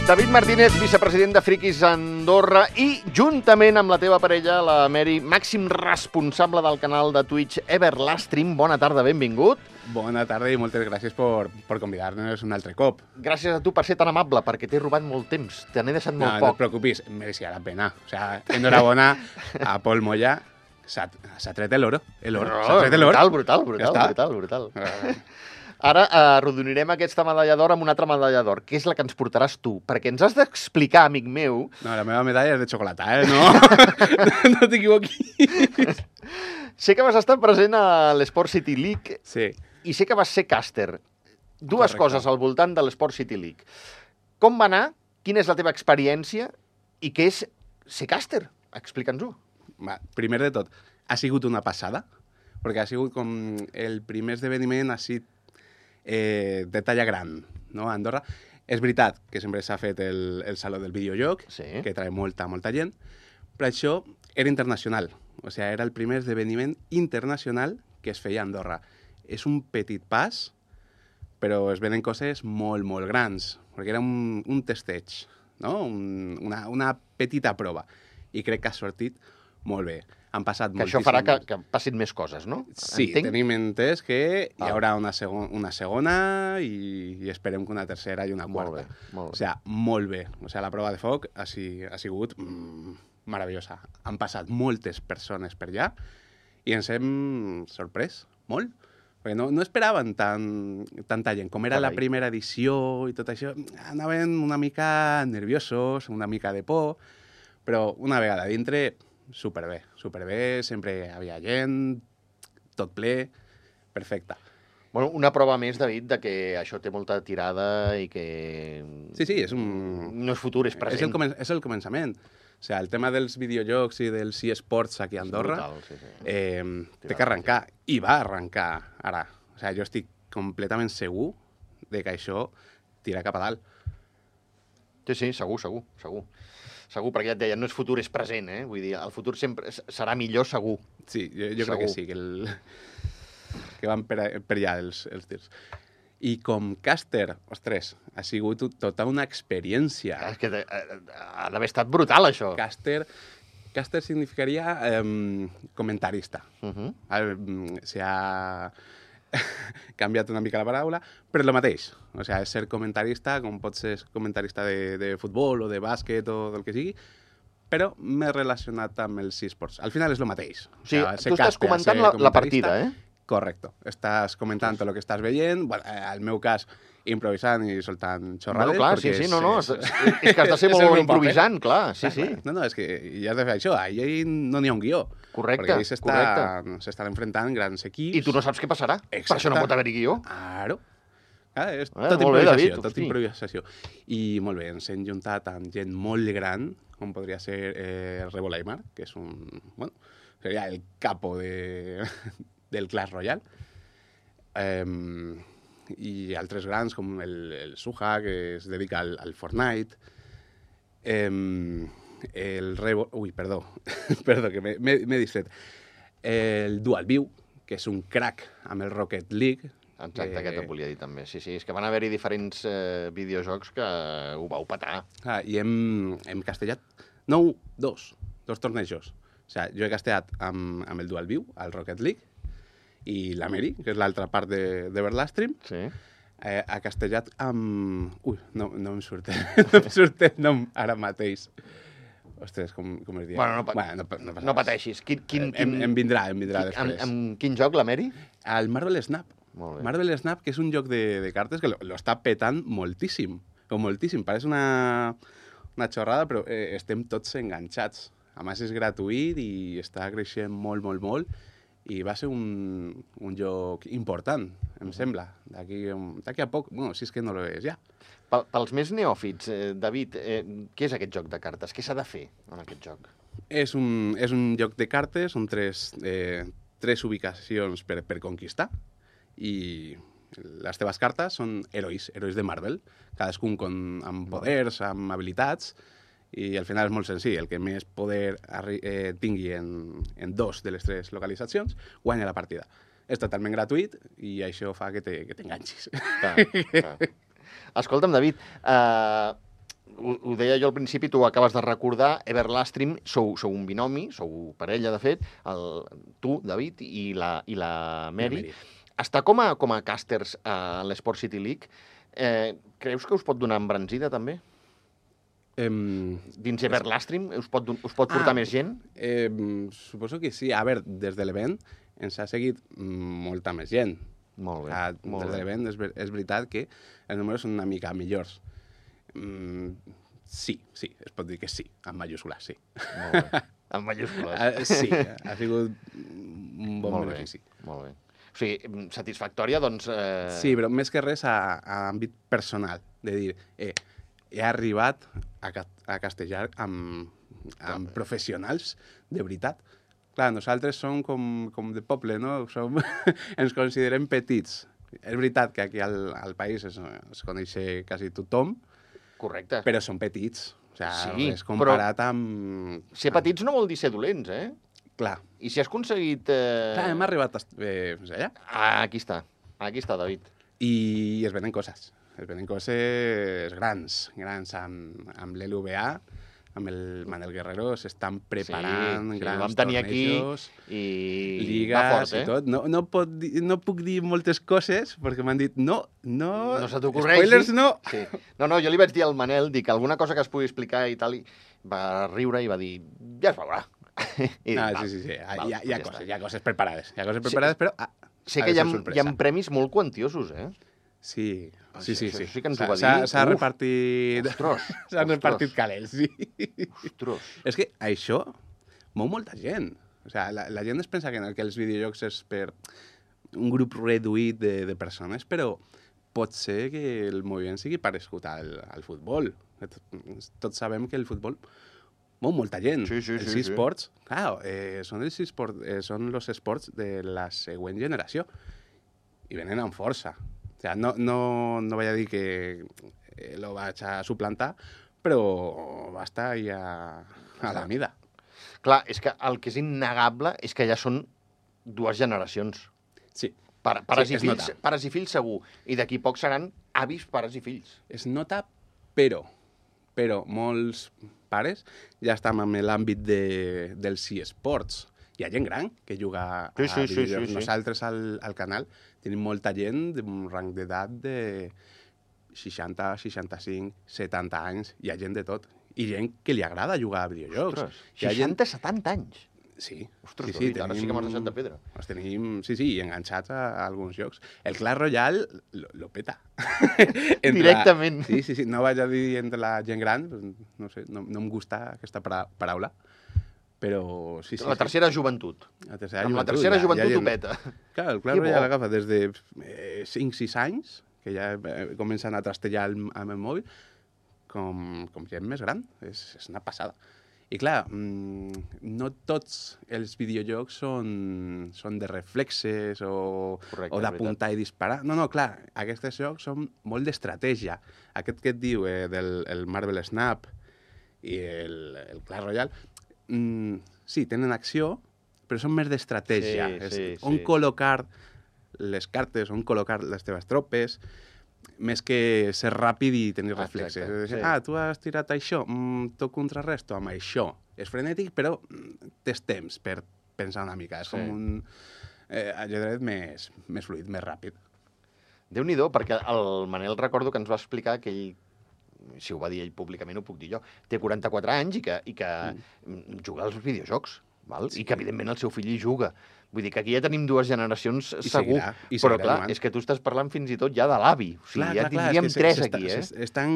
David Martínez, vicepresident de Friquis Andorra i, juntament amb la teva parella, la Mary, màxim responsable del canal de Twitch Everlastream. Bona tarda, benvingut. Bona tarda i moltes gràcies per convidar-nos un altre cop. Gràcies a tu per ser tan amable, perquè t'he robat molt temps. Te n'he deixat molt No poc. et preocupis, mereixia la pena. O sea, enhorabona a Pol Moya. S'ha tret l'oro. S'ha tret l'oro. Brutal. Ara arrodonirem aquesta medalla d'or amb una altra medalla d'or, que és la que ens portaràs tu, perquè ens has d'explicar, amic meu... No, la meva medalla és de xocolata, No, no t'equivoquis. Sé que vas estar present a l'Sport City League Sí. i sé que vas ser càster. Dues Correcte. coses al voltant de l'Sport City League. Com va anar? Quina és la teva experiència? I què és ser càster? Explica'ns-ho. Va, primer de tot, ha sigut una passada, perquè ha sigut com el primer esdeveniment així de talla gran, no? A Andorra. És veritat que sempre s'ha fet el Saló del Videojoc, Sí. que trae molta gent, però això era internacional. O sigui, era el primer esdeveniment internacional que es feia a Andorra. És un petit pas, però es venen coses molt, molt grans, perquè era un testeig, no? Una petita prova. I crec que ha sortit molt bé. Han passat Que moltíssims... això farà que passin més coses, no? Sí, Entenc? tenim entès que hi Val. haurà una segona i esperem que una tercera i una Molt quarta. bé, molt bé. O sigui, molt bé. O sigui, la prova de foc ha sigut meravellosa. Han passat moltes persones per allà i ens hem sorprès molt. Perquè no esperaven tanta gent. Com era la Carai. primera edició i tot això, anaven una mica nerviosos, una mica de por, però una vegada dintre, superbé. Sempre hi havia gent, tot ple, perfecte. Bueno, una prova més, David, de que això té molta tirada i que... Sí, és un... No és futur, és present. És el començament. O sigui, el tema dels videojocs i dels eSports aquí a Andorra Brutal, sí. té que arrencar. I va arrencar ara. O sigui, jo estic completament segur de que això tira cap a dalt. Sí, segur. Segur, perquè ja et deia, no és futur, és present, eh? Vull dir, el futur sempre serà millor, segur. Sí, jo crec que sí, que van per allà els tirs. I com càster, ostres, ha sigut tota una experiència. És que ha d'haver estat brutal, això. Càster significaria comentarista. Se ha canviat una mica la paraula, però és el mateix. O sigui, és ser comentarista, com pot ser comentarista de futbol o de bàsquet o del que sigui, però més relacionat amb els eSports. Al final és el mateix. O sigui, tu estàs comentant la partida, eh? Correcte. Estàs comentant tot el que estàs veient, bueno, al meu cas, improvisant i soltant xorrades. Bueno, clar, sí, és que has de ser molt bon improvisant, clar, sí. No, és que hi has de fer això, ahir no n'hi ha un guió. Correcte, perquè s'estan enfrontant grans equips. I tu no saps què passarà. Exacte. Per això no pot haver-hi guió. Claro. És Molt tot bé, improvisació, David, tot improvisació. I molt bé, ens hem juntat amb gent molt gran, com podria ser Rebo Laimar, que és seria el capo del Clash Royale. I altres grans, com el Suja, que es dedica al Fortnite. El Rebo... Ui, perdó, que m'he distret. El Dual View, que és un crack amb el Rocket League. Exacte, aquest et volia dir també. Sí, és que van haver-hi diferents videojocs que ho vau petar. I hem castellat dos tornejos. O sigui, jo he castellat amb el Dual View, al Rocket League, i la Mary, que és l'altra part d'Everlastream, Sí. ha castellat amb... Ui, no em surt el nom ara mateix. Ostres, com es diu? Bueno, no pateixis. Em vindrà després. Amb quin joc, la Mary? El Marvel Snap. Molt bé. Marvel Snap, que és un joc de cartes que lo està petant moltíssim. Moltíssim. Pareix una xorrada, però estem tots enganxats. A més, és gratuït i està creixent molt, molt, molt. I va ser un joc important, em sembla. D'aquí a poc, bueno, si és que no lo és ja. Pels més neòfits, David, què és aquest joc de cartes? Què s'ha de fer en aquest joc? És un joc de cartes, són tres ubicacions per conquistar, i les teves cartes són herois de Marvel, cadascun amb poders, amb habilitats, i al final és molt senzill. El que més poder tingui en dos de les tres localitzacions guanya la partida. És totalment gratuït i això fa que t'enganxis. Clar. Escolta'm, David, ho deia jo al principi, tu ho acabes de recordar, Everlastream, sou un binomi, sou parella, de fet, tu, David, i la Mary. Mary. Està com a càsters a l'Sport City League. Creus que us pot donar embranzida, també? Dins Everlastream us pot portar més gent? Suposo que sí. A veure, des de l'event ens ha seguit molta més gent. Molt bé. Des de l'event és veritat que els números són una mica millors. Sí, es pot dir que sí, en majúscules, sí. Molt bé. En majúscules. Sí, ha sigut un bon benefici. Molt bé. O sigui, satisfactòria, doncs... Sí, però més que res a àmbit personal, de dir, he arribat a castellar amb professionals de veritat. Clar, nosaltres som com de poble, no? Ens considerem petits. És veritat que aquí al país es coneix quasi tothom, correcte. Però són petits. O sigui, sí, és comparat amb... Ser petits no vol dir ser dolents, eh? Clar. I si has aconseguit... Clar, hem arribat allà. Aquí està, David. I es venen coses. Es venen coses grans amb l'LVA, amb el Manel Guerrero, s'estan preparant grans tornejos, i lligues i tot. No puc dir moltes coses, perquè m'han dit, no se t'ocorreixi. Spoilers no. Sí. No, jo li vaig dir al Manel, dic, alguna cosa que es pugui explicar i tal, i va riure i va dir, ja es veurà. Sí. Hi ha coses preparades. Però... Sé que hi ha premis molt quantiosos, eh? Sí. Això sí que ens ho va dir. S'ha repartit... Ostres. S'han repartit calés, sí. Ostres. És que això mou molta gent. O sigui, la gent es pensa que els videojocs és per un grup reduït de persones, però pot ser que el moviment sigui parescut al futbol. Tots sabem que el futbol mou molta gent. Sí. Els esports, clar, són els esports de la següent generació. I venen amb força. O sigui, no vaig a dir que lo vaig a suplantar, però va estar ja a la mida. Clar, és que el que és innegable és que ja són 2 generacions. Sí. Pares i fills segur. I d'aquí poc seran avis, pares i fills. Es nota, però molts pares ja estan en l'àmbit dels eSports. Hi ha gent gran que juga a videojocs. Sí. Nosaltres al canal tenim molta gent d'un rang d'edat de 60, 65, 70 anys. Hi ha gent de tot. I gent que li agrada jugar a videojocs. Ostres, 60, 70 anys? Sí. Ostres, David, ara sí que m'has deixat de pedra. Els tenim, enganxats a alguns jocs. El Clash Royale lo peta. Directament. Sí. No vaig a dir entre la gent gran, no sé, no em gusta aquesta paraula, però sí. La tercera joventut. La tercera joventut ho peta. Clar, el Clash Royale agafa des de 5-6 anys, que ja comencen a trastellar amb el mòbil, com gent més gran. És una passada. I clar, no tots els videojocs són de reflexes o d'apuntar i disparar. No, clar, aquests jocs són molt d'estratègia. Aquest que et diu del Marvel Snap i el Clash Royale, sí, tenen acció, però són més d'estratègia. On col·locar les cartes, on col·locar les teves tropes, més que ser ràpid i tenir reflexes. Tu has tirat això, t'ho contrarresto amb això. És frenètic, però tens temps per pensar una mica. És com un ajedrez més fluid, més ràpid. Déu-n'hi-do, perquè el Manel recordo que ens va explicar que ell, si ho va dir ell públicament, ho puc dir jo, té 44 anys i que juga als videojocs, val? I que evidentment el seu fill hi juga. Vull dir que aquí ja tenim 2 generacions segur, però clar, és que tu estàs parlant fins i tot ja de l'avi. O sigui, ja tindríem 3 aquí, eh? Estan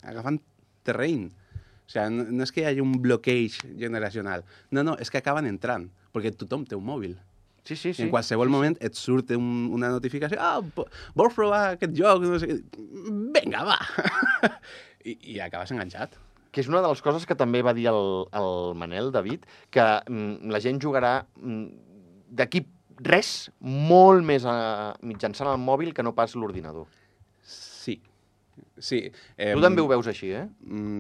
agafant terreny. O sigui, no és que hi hagi un bloqueig generacional. No, és que acaben entrant, perquè tothom té un mòbil. Sí. En qualsevol moment et surt una notificació, vols provar aquest joc? No sé què. Vinga, va! I acabes enganxat. Que és una de les coses que també va dir el Manel, David, que la gent jugarà d'aquí res molt més mitjançant el mòbil que no pas l'ordinador. Sí. Tu també ho veus així, eh?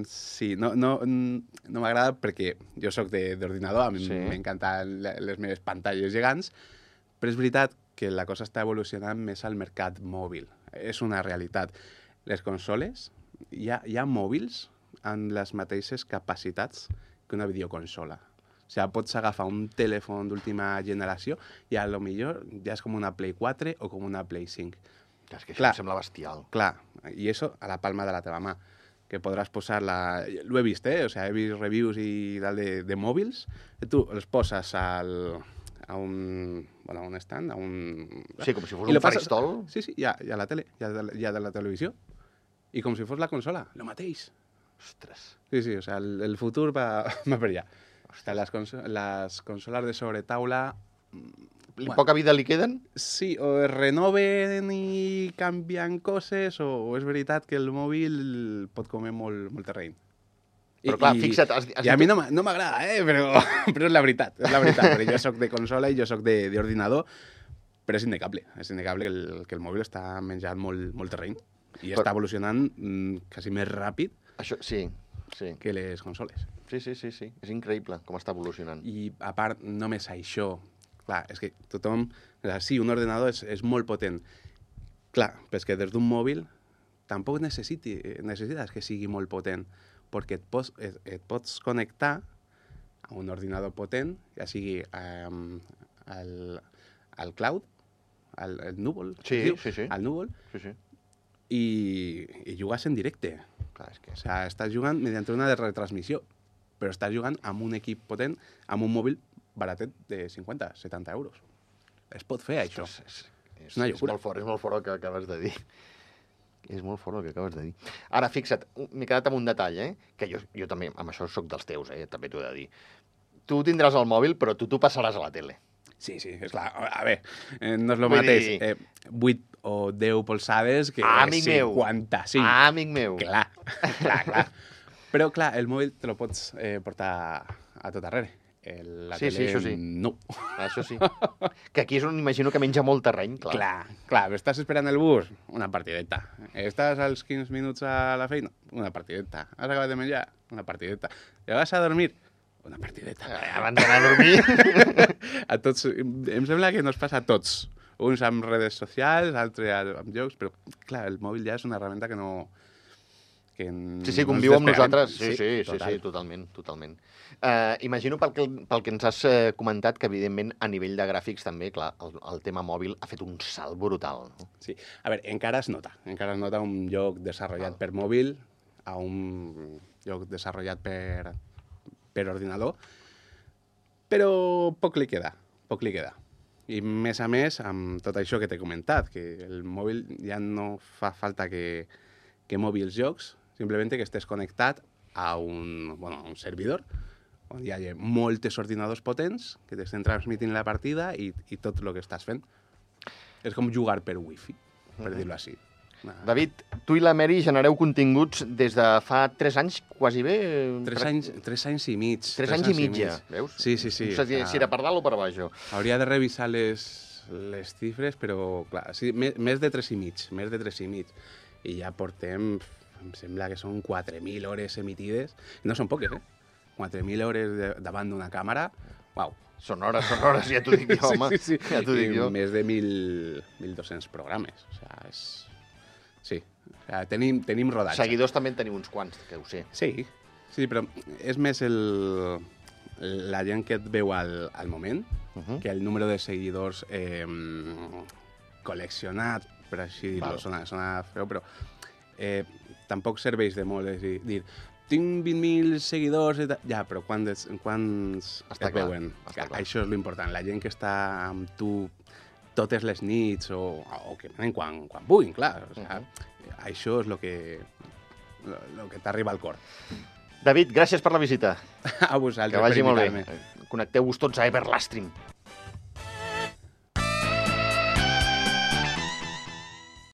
Sí, no m'agrada perquè jo sóc d'ordinador, a mi m'encanten les meves pantalles gegants, però és veritat que la cosa està evolucionant més al mercat mòbil. És una realitat. Les consoles hi ha mòbils amb les mateixes capacitats que una videoconsola. O sigui, pots agafar un telèfon d'última generació i a lo millor ja és com una Play 4 o com una Play 5. És que això em sembla bestial. Clar, i això a la palma de la teva mà, que podràs posar-la... Ho he vist, O sigui, he vist reviews i tal de mòbils, i tu els poses a un stand, a un... Sí, com si fos un faristol. Sí, ja a la tele, ja de la televisió. I com si fos la consola, el mateix. Ostres. Sí, o sigui, el futur va per allà. Les consoles de sobretaula... Poca vida li queden? Sí, o es renoven i canvien coses, o és veritat que el mòbil pot comer molt terreny. Però clar, fixa't... I a mi no m'agrada, però és la veritat, perquè jo soc de consola i jo soc d'ordinador, però és innegable que el mòbil està menjant molt terreny i està evolucionant quasi més ràpid que les consoles. Sí, és increïble com està evolucionant. I a part, només això, clar, és que tothom... Sí, un ordenador és molt potent. Clar, però és que des d'un mòbil tampoc necessites que sigui molt potent, perquè et pots connectar a un ordinador potent, ja sigui al cloud, al núvol, al núvol, i jugues en directe. Clar, és que... O sigui, estàs jugant mediante una retransmissió, però estàs jugant amb un equip potent, amb un mòbil baratet de 50-70 euros. Es pot fer, això. És una llocura. És molt fort el que acabes de dir. És molt fort el que acabes de dir. Ara, fixa't, m'he quedat amb un detall, que jo també, amb això soc dels teus, també t'ho he de dir. Tu tindràs el mòbil, però tu t'ho passaràs a la tele. Sí, és clar. A veure, no és el mateix 8 o 10 polsades que 55. Amic meu. Clar. Però, clar, el mòbil te lo pots portar a tot arrere. La tele, això sí. No. Això sí. Que aquí és on imagino que menja molt terreny, clar. Clar, estàs esperant el bus? Una partideta. Estàs als 15 minuts a la feina? Una partideta. Has acabat de menjar? Una partideta. I vas a dormir? Una partideta. Abans d'anar a dormir? A tots, em sembla que nos passa a tots. Uns amb redes socials, altres amb jocs, però, clar, el mòbil ja és una herramienta que no... Sí, conviu amb nosaltres. Sí, totalment. Imagino pel que ens has comentat que, evidentment, a nivell de gràfics també, clar, el tema mòbil ha fet un salt brutal. No? Sí. A veure, encara es nota un joc desenvolupat per mòbil a un joc desenvolupat per ordinador, però poc li queda. I, més a més, amb tot això que t'he comentat, que el mòbil ja no fa falta que mogui els jocs, simplement que estés connectat a un servidor on hi ha moltes ordinadors potents que t'estan transmitint la partida i tot el que estàs fent. És com jugar per wifi, per dir-ho així. David, tu i la Mary genereu continguts des de fa 3 anys, quasi bé? 3 anys i mig. 3 anys i mig, ja, veus? Sí. No sé si era per dalt o per baix. Hauria de revisar les xifres, però, clar, sí, més de 3 i mig. I ja portem, em sembla que són 4.000 hores emitides. No són poques, 4.000 hores davant d'una càmera. Uau. Són hores, ja t'ho dic jo, home. Sí. Ja t'ho dic jo. Més de 1.200 programes. O sigui, és... Sí, o sigui, tenim rodatge. Seguidors també en teniu uns quants, que ho sé. Sí, però és més la gent que et veu al moment que el número de seguidors col·leccionat, per així dir-ho, sona feo, però tampoc serveix de molt dir tinc 20.000 seguidors, ja, però quants et veuen? Això és l'important, la gent que està amb tu totes les nits o que venen quan puguin, clar. O sigui, això és el que t'arriba al cor. David, gràcies per la visita. A vosaltres. Que vagi molt bé. Connecteu-vos tots a Everlastream.